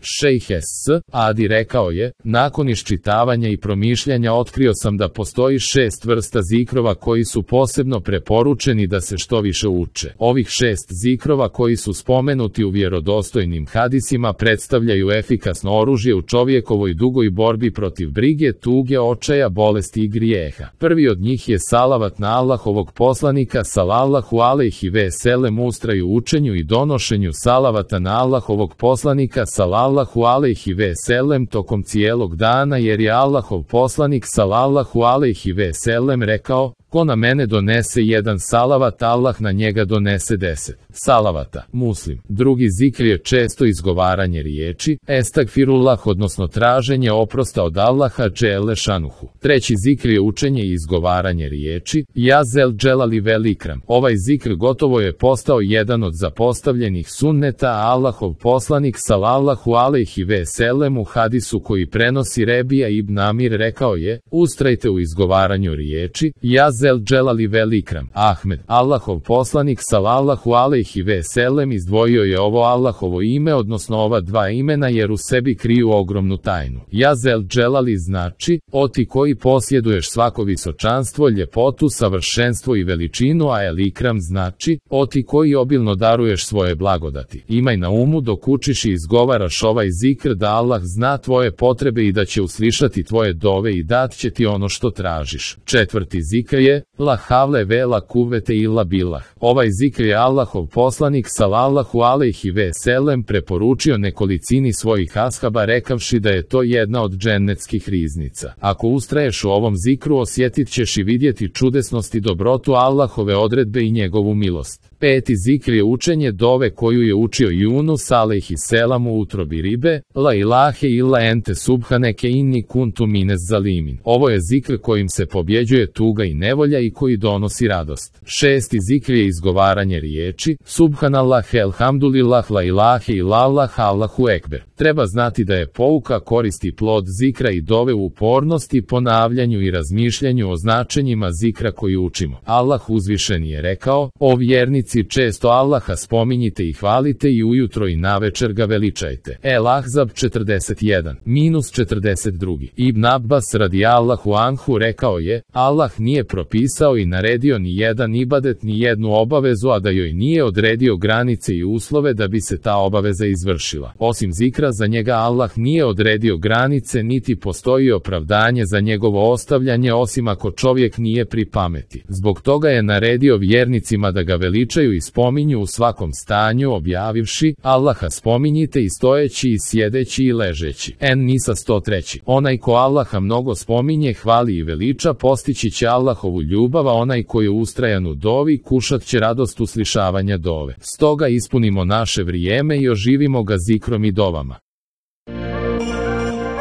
Šejh Adi rekao je, nakon iščitavanja i promišljanja otkrio sam da postoji 6 vrsta zikrova koji su posebno preporučeni da se što više uče. Ovih 6 zikrova koji su spomenuti u vjerodostojnim hadisima predstavljaju efikasno oružje u čovjekovoj dugoj borbi protiv brige, tuge, očaja, bolesti i grijeha. Prvi od njih je salavat na Allahovog poslanika sallallahu alejhi ve sellem. Ustraju u učenju i donošenju salavata na Allahovog poslanika sallallahu alejhi ve sellem tokom cijelog dana, jer je Allahov poslanik sallallahu alejhi ve sellem rekao: ko na mene donese jedan salavat, Allah na njega donese 10 salavata. Muslim. Drugi zikr je često izgovaranje riječi estagfirullah, odnosno traženje oprosta od Allaha dželle šanuhu. Treći zikr je učenje i izgovaranje riječi ja zel dželali vel ikram. Ovaj zikr gotovo je postao jedan od zapostavljenih sunneta, a Allahov poslanik sallallahu alejhi ve sellem u hadisu koji prenosi Rebija ibn Amir rekao je: ustrajte u izgovaranju riječi ja zel dželali vel ikram. Ahmed. Allahov poslanik sallallahu alejhi ve sellem izdvojio je ovo Allahovo ime, odnosno ova dva imena, jer u sebi kriju ogromnu tajnu. Ja zel dželali znači o ti koji posjeduješ svako visočanstvo, ljepotu, savršenstvo i veličinu, a el ikram znači o ti koji obilno daruješ svoje blagodati. Imaj na umu dok učiš i izgovaraš ovaj zikr da Allah zna tvoje potrebe i da će uslišati tvoje dove i dat će ti ono što tražiš. Četvrti zikr je la havle ve la kuvete illa billah. Ovaj zikr je Allahov poslanik sallallahu alejhi ve sellem preporučio nekolicini svojih ashaba rekavši da je to jedna od džennetskih riznica. Ako ustraješ u ovom zikru, osjetit ćeš i vidjeti čudesnost i dobrotu Allahove odredbe i njegovu milost. Peti zikr je učenje dove koju je učio Yunus alejhi selam u utrobi ribe, la ilahe illa ente subhaneke inni kuntu minez zalimin. Ovo je zikr kojim se pobjeđuje tuga i nevolja i koji donosi radost. Šesti zikr je izgovaranje riječi subhanallah, elhamdulillah, la ilahe illallah, Allahu ekber. Treba znati da je pouka, koristi plod zikra i dove u upornosti, ponavljanju i razmišljanju o značenjima zikra koji učimo. Allah uzvišeni je rekao: o vjernici, često Allaha spominjite i hvalite i ujutro i navečer ga veličajte. El Ahzab 41-42. Ibn Abbas radijallahu anhu rekao je: Allah nije propisao i naredio ni jedan ibadet, ni jednu obavezu, a da joj nije odredio granice i uslove da bi se ta obaveza izvršila. Osim zikra, za njega Allah nije odredio granice, niti postoji opravdanje za njegovo ostavljanje, osim ako čovjek nije pri pameti. Zbog toga je naredio vjernicima da ga veličaju i spominju u svakom stanju, objavivši: Allaha spominjite i stojeći i sjedeći i ležeći. En-Nisa 103. Onaj ko Allaha mnogo spominje, hvali i veliča, postići će Allahovu ljubav, a onaj koji ustrajan u dovi, kušat će radost uslišavanja dove. Stoga ispunimo naše vrijeme i oživimo ga zikrom i dovama.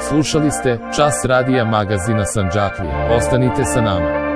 Slušali ste Čas radija magazina Sandžaklija. Ostanite sa nama.